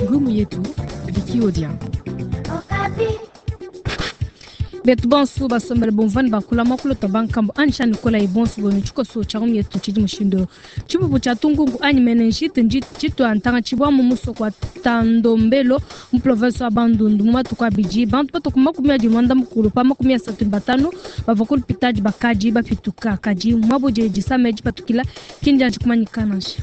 Ngumu yetu Vicky Odia. Betu bonso basombele bumvua ne bakula muakulu tua bankambo anyi sha nikolayi bonso bonu tshikoso tshia ngumu yetu tshidi mushindu eu. Tshipupu tshia tungungu anyi menenjite tshitua ntanga tshibua mu musoko wa Tandombelo mu province wa Bandundu mu matuku abidi. Bantu batue ku makumi adi muanda mukulu pa 35 bavua ku lupitadi bakadi bapituka, kadi muabu udi disama edi dipatukila ki ndianji kumanyika nansha.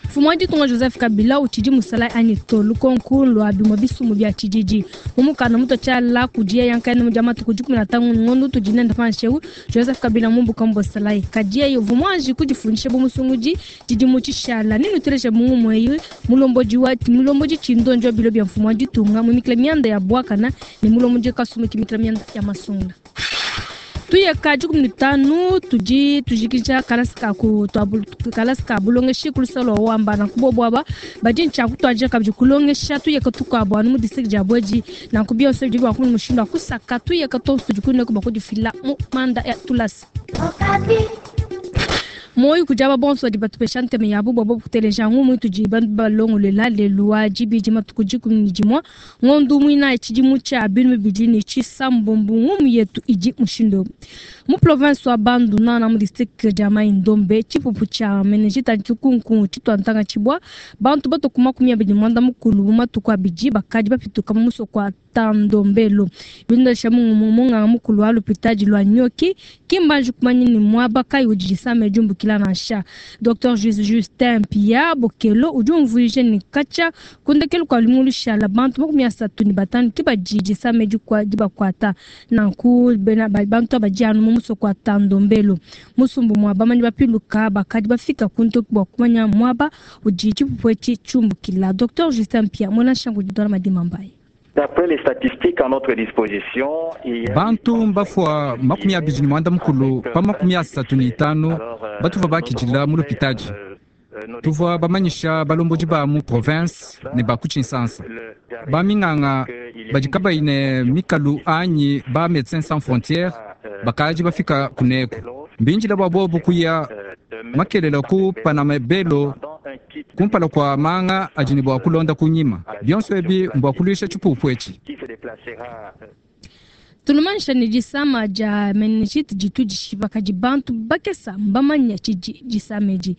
Mfumu wa ditunga Joseph Kabila utshidi musalayi anyi to? Lukonku lua bimue bisumbu bia tshididi mu mukanda mutua tshiala kudi yeye nkayende mu dia matuku 15 ngondo utudi nende panshi eu, Joseph Kabila mumbuka mu busalayi. Kadi yeye uvua muanji kudifundisha bu musungudi tshidimu tshishala. Nenuteleje mu ngumu eyi mulombodi wa mulombodi tshindonji wa bilo bia mfumu wa ditunga muimikila mianda ya buakana ne mulombodi kasumu kimikila mianda ya masungula. Tuye ka 15 tudi tujikija kalasa ka ku kalasa ka bulongeshi ku luseke lua Wamba. Nanku bobu aba badi ne tshia kutuadija kabidi kulongesha tuyeka tukuabu anu mu distrike dia Bwedi. Nanku bionso bidi bua kumona mushindu wa kusaka tuyeka tuonso tudi kuneku bua kudifila mu manda ya tulasa. Muoyo kudi aba bonso badi batupesha ntema yabu bua bobu kuteleja ngumu itudi balongoluela lelu wa dibidi matuku 11 ngondo muinayi tshidimu tshia binunu bibidi ne tshisambombo. Ngumu yetu idi mushindu eu. Mu province wa Bandundu mu district dia Mai Ndombe, tshipupu tshia meningite anyi tshikunkungu tshitua ntanga tshibua bantu batue ku 24 mu matuku abidi bakadi bapituka mu musoko wa Tandombelo. Bilondesha munganga mukulu wa lupitadi lua Nyoki, ki mbanji kumanya ne muaba kayi udi disama edi diumbukila nansha. Docteur Justin Pia Bokelo udi umvuija ne katshia ku ndekelu kua lumingu lushala bantu 35 ke badi disama edi dibakuata. Nanku bena bantu aba badi anu mu musoko wa Tandombelo. Musumbu mua bamanyi bapiluka bakadi bafika ku ntoki bua kumanya muaba udi tshipupu etshi tshiumbukila. Docteur Justin Pia muena nshangu udi Dona Madima Mbaye. Bantu mbafua 24 pa 35 batuvua bakidila mu lupitadi. Tuvua bamanyisha balombodi ba mu province ne ba ku Tshinsansa. Baminganga badi kabayi ne mikalu anyi ba Medecins Sans Frontieres bakadi bafika kuneku. Mbindila bua bobu kuya makelela ku Panamebelo kumpala kua manga adi ne bua kulonda kunyima. Bionso ebi mbua kuluisha tshipupu etshi. Tulumanyisha ne disama dia meningite ditu dishipa kadi bantu bakesa mbamanya tshidi disama edi.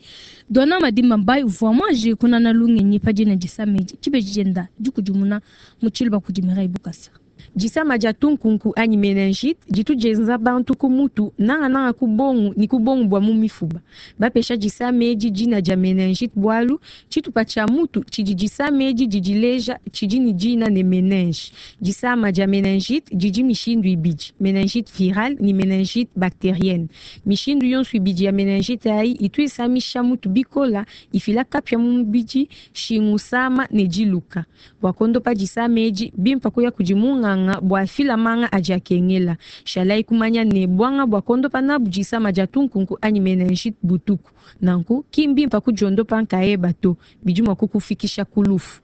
Dona Madimba Mbayi uvua muanji kunana lungenyi pa dina disama edi tshibeji dienda dikudimuna mu tshiluba kudi Mireille Bukasa. Disama dia tunkunku anyi meningite ditu dienza bantu ku mutu, nangananga ku bongu ne ku bongu bua mu mifuba. Bapesha disama edi dina dia meningite bualu tshitupa tshia mutu tshidi disama edi didileja tshidi ne dina ne meninge. Disama dia meningite didi mishindu ibidi, meningite virale ne meningite bacterienne. Mishindu yonso ibidi ya meningite ayi itu isamisha mutu bikola, ifila kapia mu mubidi, shingu sama ne diluka. Bua kondopa disama edi bimpa kuya kudi munganga bua fila manga adi akengela. Shalai kumanya ne bwanga bua kondopa nabu disama dia tunkunku anyi meningite butuku. Nanku ki mbimpa kudiondopa nkayeba to, bidi mua kukufikisha ku lufu.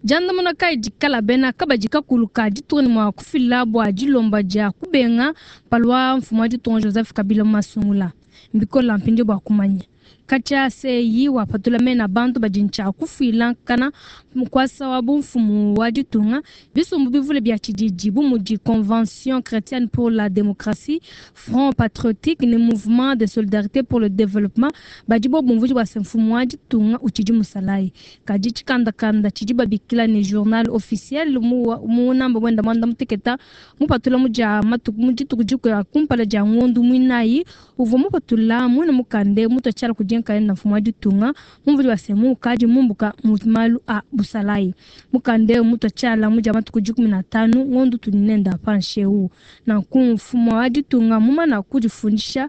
Diandamuna kayi dikala bena kabadi kakulu ka ditunga ne mua kufila bua dilomba dia kubenga palua mfumu wa ditunga Joseph Kabila mu masungula. Mbikola mpindieu bua kumanya. Katshia CEI wapatula mena bantu badi ntshia kufuila nkana mukwasa wa bumfumu wa ditunga. Bisumbu bivule bia tshididi bu mudi Convention chrétienne pour la démocratie, Front patriotique ne Mouvement de solidarité pour le développement badi bo bumvuija bua se mfumu wa ditunga utshidi musalayi. Kadi tshikandakanda tshidi babikila ne journal officiel mu mu namba wenda mwanda muteketa mupatula mu dia matuku mu dituku dikuya kumpala dia ngondu muinayi uvua mupatula muina mukande mutua tshiala kudi nkayenda mfumu wa ditunga mumvudi wa se mukadi mumbuka mu malu a busalayi. Mukande mutua tshiala mu dia matuku 15 ngondu tudi nenda panshi eu. Nanku mfumu wa ditunga mumana kudifundisha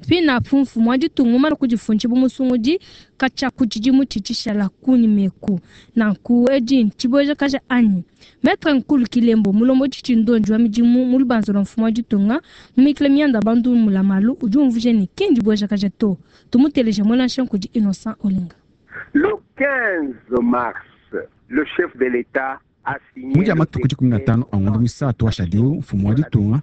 pinapu mfumu wa ditunga mumana kudifundisha bu musungudi katshia ku tshidimu tshitshishala kunyimeku. Nanku edi ntshibueja kaja anyi. Maître Nkulu Kilembo mulombodi tshindonji wa midimu mu lubanza lua mfumu wa ditunga mumikila mianda bantu mulamalu udi umvuija ne ki ndibueja kaja to. Tumuteleje muena kudi Innocent Olinga. Le 15 mars, le chef de l'État. Mu dia matuku 15 a ngondo muisatu washadi eu, mfumu wa ditunga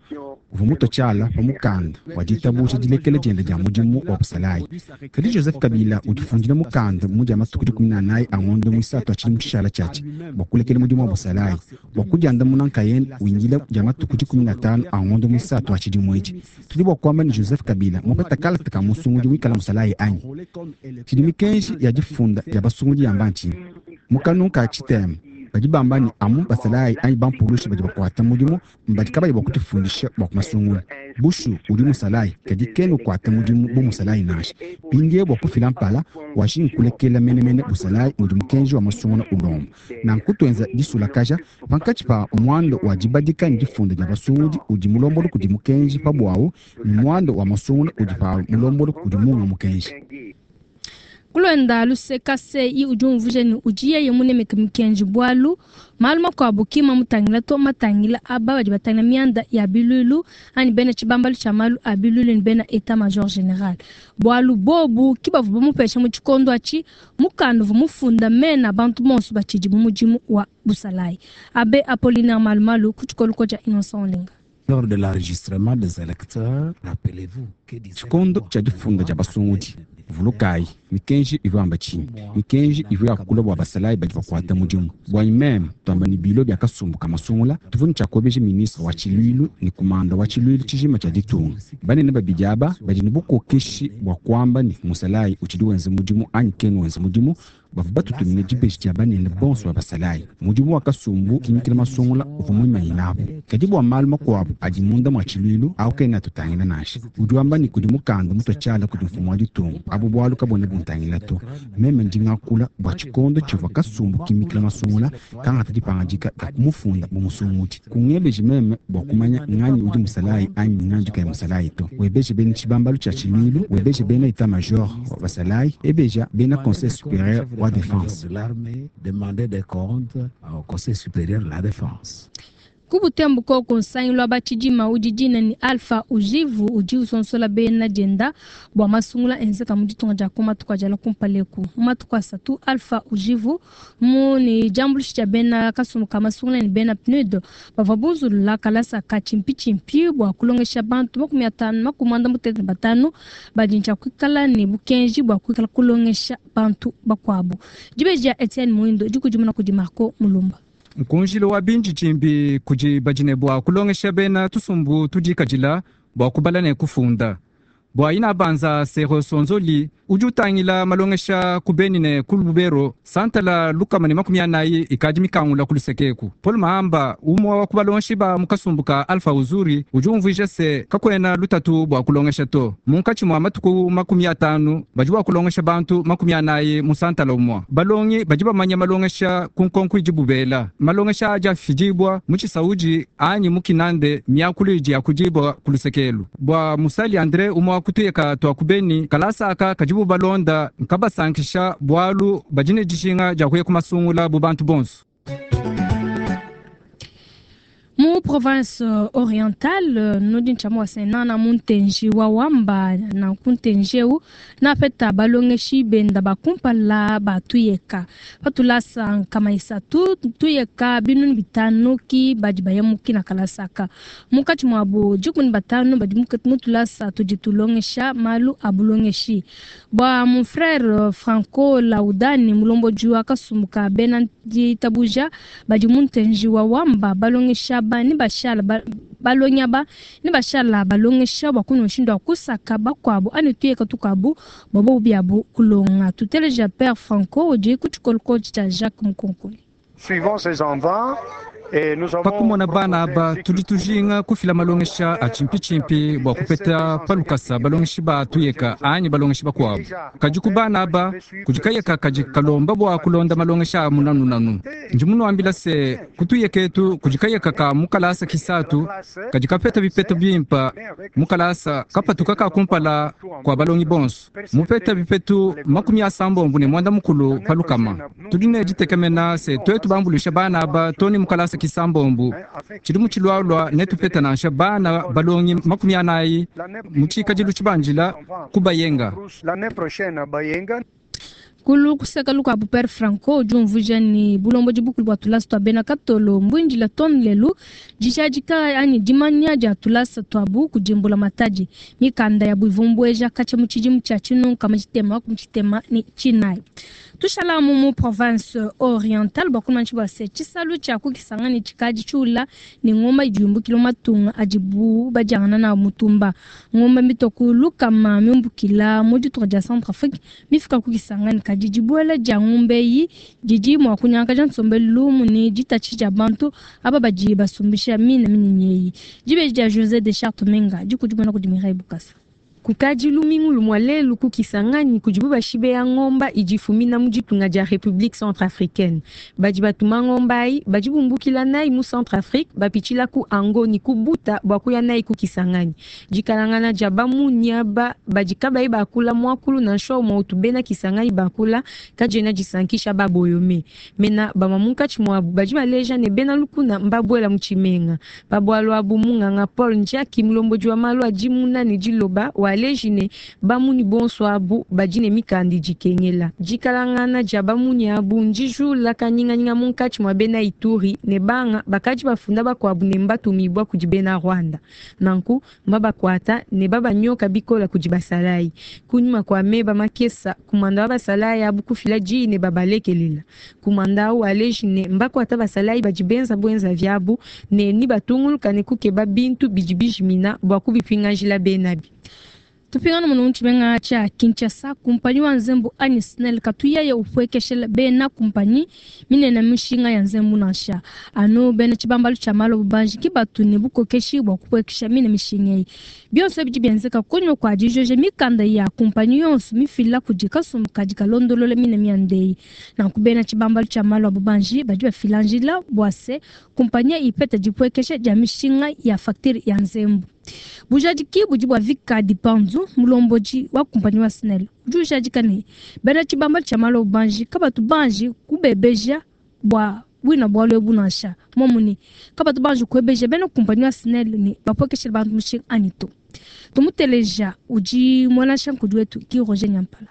uvua mutue tshiala pa mukanda wa ditabuja dilekela dienda dia mudimu wa busalayi. Kadi Joseph Kabila udifundila mukanda mu dia matuku 14 a ngondo muisatu wa tshidimu tshishala tshiatshi bua kulekela mudimu wa busalayi bua kudiandamuna nkayende windila dia matuku 15 a ngondo muisatu wa tshidimu etshi. Tudi bua kuamba ne Joseph Kabila mupeta kalata ka musungudi wikala musalayi anyi? Tshidi mikenji ya difunda dia basungudi yamba ntshinyi? Mu kanungu ka tshitema badi bamba ne amu basalayi anyi bampulushi badi bakuata mudimu mbadi kabayi bua kutifundisha bua kumasungula. Bushu udi musalayi kadi kena ukuata mudimu bu musalayi nansha. Mpindieu bua kufila mpala wajingi kulekela menemene busalayi mudi mukenji wa masungula ulomba. Nanku tuenza disulakaja pankatshi pa muanda wa dibadika ne difunda dia basungudi udi mulombodi kudi mukenji pa buawu ne muanda wa masungula udi pawu mulombodi kudi munga mukenji. Kulonda luseka CI udi umvuija ne udi yeye munemeke mikenji bualu malu makuabu ki mamutangila to, matangila aba badi batangila mianda ya biluilu anyi bena tshibambalu tshia malu a biluilu ne bena etat major general, bualu bobu ki bavua bamupesha mu tshikondo atshi mukanda uvua mufunda mena a bantu bonso batshidi mu mudimu wa busalayi. Abe Apollinaire Malumalu ku tshikolo tshia Innocent Olenga. Lors de l'enregistrement des électeurs, rappelez-vous que disait Tshikondo tshia difunda dia basungudi, vulukayi mikenji ivua yamba tshinyi? Mikenji ivua yakula bua basalayi badi bakuata mudimu. Buanyi meme tuamba ne bilo bia kasumbu ka masungula tuvua ne tshiakuebeja ministre wa tshiluilu ne kumanda wa tshiluilu tshijima tshia ditunga. Banene babidi aba badi ne bukokeshi bua kuamba ne musalayi utshidi wenza mudimu anyi kena wenza mudimu. Bavua batutumine dibeji dia banene bonso ba basalayi. Mudimu wa kasumbu kimikila masungula uvua muimanyinapu. Kadi bua malu makuabu adi munda mua tshiluilu awu kena atutangila nansha. Udi wamba ne kudi mukanda mutua tshiala kudi mfumu wa ditunga, abu bualu kabuena buntangila to. Meme ndi ngakula bua tshikondo tshivua kasumbu kimikila masungula kangata dipangadika dia kumufunda bu musungudi. Kungebeji meme bua kumanya nganyi udi musalayi anyi nganyi udi kayi musalayi to. Webeje bena tshibambalu tshia tshiluilu, webeje bena etat major wa basalayi, ebeja bena conseil superieur wa défense. de l'armée, demander des comptes au Conseil supérieur de la défense. Ku Butembo koko nsangilu wa batshidima udi dina ni Alpha Ujivu udi usonsola bena dienda bua masungula enzeka mu ditunga dia ku matuku adiala kumpala eku. Mu matuku asatu Alpha Ujivu mu ne diambuluisha dia bena kasumbu ka masungula ne bena PNUD bavua bunzulula kalasa ka tshimpitshimpi bua kulongesha bantu 55 badi ntshia kuikala ne bukenji bua kuikala kulongesha bantu bakuabu. Dibeji dia Etienne Muindo dikudimuna kudi Marco Mulumba. Nkunjilo wa binjijimbi kudi badi ne bua kulongesha bena tusumbu tudikadila bua kubala ne kufunda. Bua ina banza Sero Sonzoli udi utangila malongesha ku Beni ne ku Lubero santala 140 ikadi mikangula ku lusekeku. Paul Mahamba umwe wa kubalongeshi ba mu kasumbu ka Alpha Uzuri udi umvuija se kakuena lutatu bua kulongesha to. Munkatshi mua matuku 50 badi bua kulongesha bantu 40 mu santala umwe. Balongi badi bamanya malongesha ku nkonko idi bubela. Malongesha adi afidibwa mu Tshisaudi anyi mu Kinande miakulu idi yakudibwa ku lusekelu. Bua Musali Andre umwe wa kutuyeka twa ku Beni kalasa aka kadi bubalonda nkabasankisha bualu badi ne dijinga dia kuya kumasungula bu bantu bonso. Mu province orientale nudi ntshia mua senana mu ntenji wa wamba nanku ntenji eu napeta balongeshi benda bakumpala batuyeka patulasa nkama isatu tuyeka 500 ki badi baya mukina kalasaka munkatshi muabu 15 badi mutulasa tudi tulongesha malu a bulongeshi bua mon frère Franco Laudani mulombodi wa kasumbu ka bena ditabuja badi mu ntenji wa wamba balongesha ba ni bashala balonya ba ni bashala balongesha bua kuno mushindu wa kusaka bakuabu ani tuyeka tukuabu bua biabu kulonga. Tuteleja Père Franco udi ku tshikolo tshia Jacques Mukonkoli. Suivant ces enfants, Pakumona bana aba tudi tujinga kufila malongesha a tshimpitshimpi bua kupeta palukasa balongeshi ba tuyeka anyi balongeshi bakuabu. Kadi ku bana aba kudi kayeka kadi kalomba bua kulonda malongesha a munanunanu. Ndi munuambila se kutuyeka etu kudi kayeka ka mukalasa kisatu kadi kapeta bipeta bimpa mukalasa kapatuka ka kumpala kua balongi bonso mupeta bipetu 89 palukama. Tudi ne ditekemena se tuetu bambuluisha bana aba toni mukalasa kisambombo tshidi mu tshilualua netupeta nansha bana balongi 40 mu tshikadilu tshibanjila ku Bayenga. Kulu kuseka lukuabu Père Franco udi umvuija ne bulombodi bukulu bua tulasa tua bena Katolo mbuindila too lelu dijadika anyi dimanya dia tulasa tuabu kudi mbulamatadi. Mikanda yabu ivua mbueja katshia mu tshidimu tshia 1964. Tushala mu province orientale bua kumanya bua se tshisalu tshia ku Kisangani tshikadi tshiula ne ngomba idi yumbukila mu matunga adibu badiangana nawu mutumba. Ngomba mitue ku lukama miumbukila mu ditunga dia Centrafrique mifika ku Kisangani, kadi dibuela dia ngombe eyi didi mua kunyangakaja nsombelu lumu ne ditatshisha dia bantu aba badi basumbisha mine minyinyi eyi. Dibeji dia José de Chartres Menga dikudimuna kudi Mireille Bukasa. Kukadi lumingu lumue lelu ku Kisangani kudibu bashibeya ngomba idi ifumina mu ditunga dia Republique Centrafricaine. Badi batuma ngomba ayi, badi bumbukila nayi mu Centrafrique, bapitshila ku Ango ne ku Buta bua kuya nayi ku Kisangani. Dikalangana dia bamunyi aba badi kabayi bakula muakulu nansha umue utu bena Kisangani bakula kadiena disankisha baboyome. Mena bamue munkatshi muabu badi baleja ne bena lukuna mbabuela mu tshimenga. Pa bualu abu munganga Paul Njiaki, mulombodi wa malu a dimuna ne diloba, waleji ne bamunyi bonso abu badi ne mikanda idi ikengela. Dikalangana dia bamunyi abu ndijula kanyinganyinga munkatshi mua bena Ituri ne banga bakadi bafunda bakuabu ne mbatumibua kudi bena Rwanda. Nanku mbabakuata ne babanyoka bikola kudi basalayi. Kunyima kua meba makesa, kumanda wa basalayi abu kufila diyi ne babalekelela. Kumanda au aleji ne mbakuata basalayi badi benza buenza viabu ne nibatunguluka ne kukeba bintu bidi bijimina bua kubipingajila benabi. Tupingana muno mu tshimenga tshia Kinshasa, kumpanyi wa nzembu anyi SNEL katuyaye upuekeshela bena kumpanyi minene mishinga ya nzembu nansha. Anu bena tshibambalu tshia malu a bubanji ke batu ne bukokeshi bua kupuekesha mine mishinga eyi. Bionso ebi bidi bienzeka kunyima kua dijoja mikanda ya kumpanyi yonso mifila kudi kasumbu kadi kalondolola mine mianda eyi. Nanku bena tshibambalu tshia malu a bubanji badi bafila njila bua se kumpanyi ipeta dipuekesha dia mishinga ya facture ya nzembu. Bujadiki budi bua Vika Dipanzu, mulombodi wa kumpanyi wa SNEL, udi ujadika ne bena tshibambalu tshia malu a bubanji kabatu banji kubebeja bua bwina bualu ebu nansha. Momuni kabatu banji kuebeja bena kumpanyi wa SNEL ne bapuekeshela bantu mushinga anyi to. Tumuteleja udi mwana nkudi wetu ki Roger Nyampala.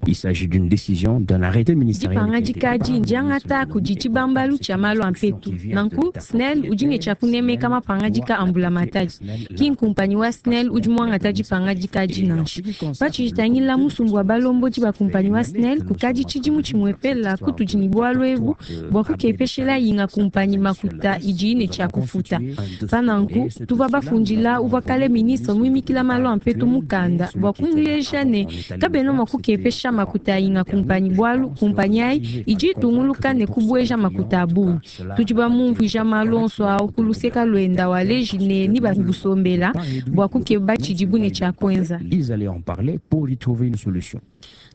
Il s'agit d'une décision d'un arrêté ministériel. Dipangadika adi ndiangata kudi tshibambalu tshia malu a mpetu. Nanku SNEL udi ne tshia kunemeka mapangadika a mbulamatadi. Ki nkumpanyi wa SNEL udi muangata dipangadika adi nansha. Patshidi musumbu wa balombodi ba kumpanyi wa SNEL kukadi tshidimu tshimuepela kutudi ne bualu ebu bua kukepeshela yinga kumpanyi makuta idi ne tshia kufuta. Pa nanku tuvua bafundila uvua kale ministre muimikila malu a mpetu mukanda bua kumuleja ne kabena mua kukepesha makuta yinga kumpanyi bualu kumpanyi ayi idi itunguluka ne kubueja makuta a bungi. Tudi bamumvuija malu onso awu ku luseka luenda waleji ne ni babusombela bua kukeba tshidibu ne tshia kuenza. Ils allaient en parler pour y trouver une solution.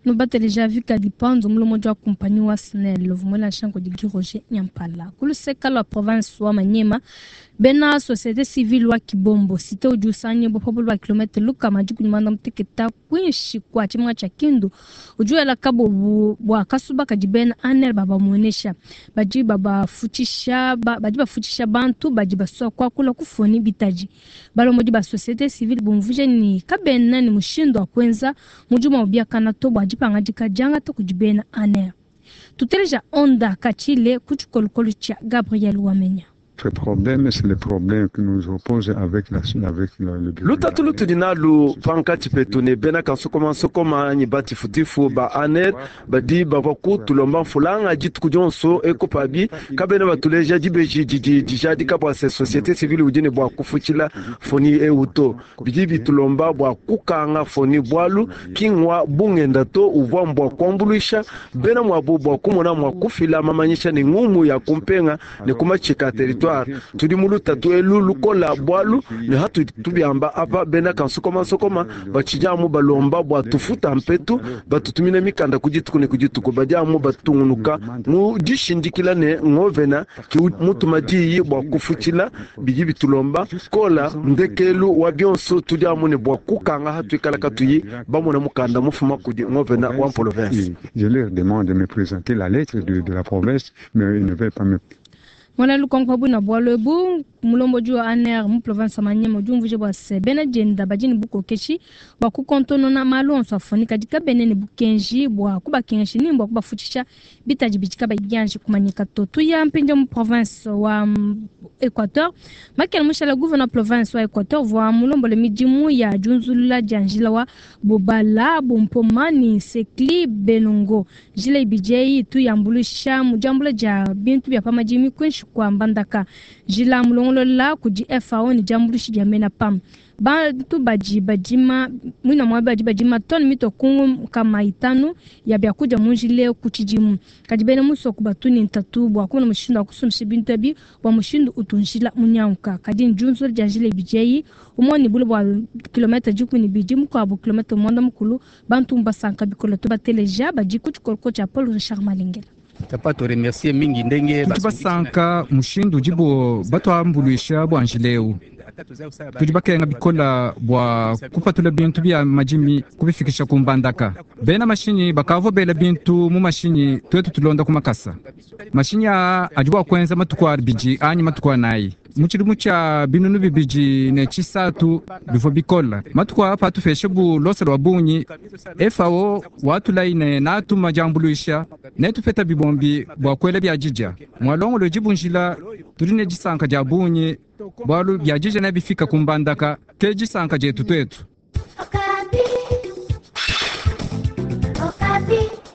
Nubateleja Vika Dipanzu mulombodi wa kumpanyi wa SNEL vumwela nshanko di Roger Nyampala. Ku luseka lua province wa Maniema bena société civile wa Kibombo cité udi usanye bopabo lua kilomètre lukama dikumi muteketa kuinshi kua tshimenga tshia Kindu udi wela kabobu bua kasuba kadi bena ANR babamuenesha badi babafutshisha badi bafutshisha bantu badi basua kuakula kufoni bitaji. Balombodi ba société civile bumvuje ni kabena ni mushindu wa kuenza mudimu wa biakana to bua dipangadika diangata kudi bena ANR. Tuteleja Onda Kachile ku tshikolokolo tshia Gabriel Wamenya. Ce problème, c'est le problème qui nous oppose avec la, avec le lutatu lutudi nalu pankatshi petu ne bena kansokomansokoma anyi batifutifu ba ANR badi bavua kutulomba mfulanga dituku dionso ekopabi kabena batuleja dibeji didi dijadika bua se société civile udi ne bua kufutshila foni ewu to. Bidi bitulomba bua kukanga foni bualu kingwa bungenda to uvua mbua kuambuluisha bena muabu bua kumona mua kufila mamanyisha ne ngumu ya kumpenga ne kumatshika territoire. Tudi mu lutatu elu lukola bualu ne hatu tubiamba apa bena kansokomansokoma batshidi amu balomba bua tufuta mpetu batutumine mikanda ku dituku ne ku dituku badi amu batungunuka mu dishindikila ne ngovena ki mutuma diyi bua kufutshila bidi bitulomba kola ndekelu wa bionso tudi amu ne bua kukanga hatuikala katuyi bamona mukanda mufuma kudi ngovena wa province. Je leur demande de me présenter la lettre de la province, mais ils ne veulent pas me. Muena lukonko pa buina bualu ebu, mulombodi wa ANR mu province wa Maniema udi umvuija bua se, bena dienda badi ne bukokeshi bua kukontonona malu onso afuani, kadi kabena ne bukenji bua kubakengesha ni bua kubafutshisha bitadi bidi kabayi bianji kumanyika to. Tuya mpindieu mu province wa Equateur. Makela mushala gouverneur province wa Equateur uvua mulombole midimu ya diunzulula dia njila wa Bobala, Bompoma ne Sekli Belongo. Njila ibidi eyi itu yambuluisha mu diambula dia bintu bia pa madimi kuinshi kua Mbandaka. Njila mulongolola kudi FAO ne diambuluishi dia mena PAM. Bantu badi badima muina muaba badi badima tone mitue ku 500 ya biakudia mu njila eu ku tshidimu. Kadi bena musoko batu ne ntatu bua kumona mushindu wa kusumbisha bintu ebi bua mushindu utu njila munyanguka. Kadi ndiunzula dia njila ibidi eyi, umue ne bule bua kilometre 12, mukuabu kilometre 10, bantu mbasanka bikole. Tubateleja badi ku tshikoloko tshia Paul Richard Malengela. Tudi basanka mushindu udibo batuambuluisha bua njila eu. Tudi bakenga bikole bua kupatula bintu bia madimi kubifikisha ku Mbandaka. Bena mashinyi bakavua bela bintu mu mashinyi, tuetu tulonda ku makasa. Mashinyi aa adi bua kuenza matuku 2 anyi matuku 4. Mu tshidimu tshia 2003 bivua bikole. Matuku aa patupeshe bu losa lua bungi, FAO watulayi ne natuma diambuluisha, netupeta bibombi bua kuela bia didia. Mualongolodi bu njila, tudi ne disanka dia bungi bualu bia didia nebifika ku Mbandaka, ke disanka dietu tuetu. Okapi. Okapi.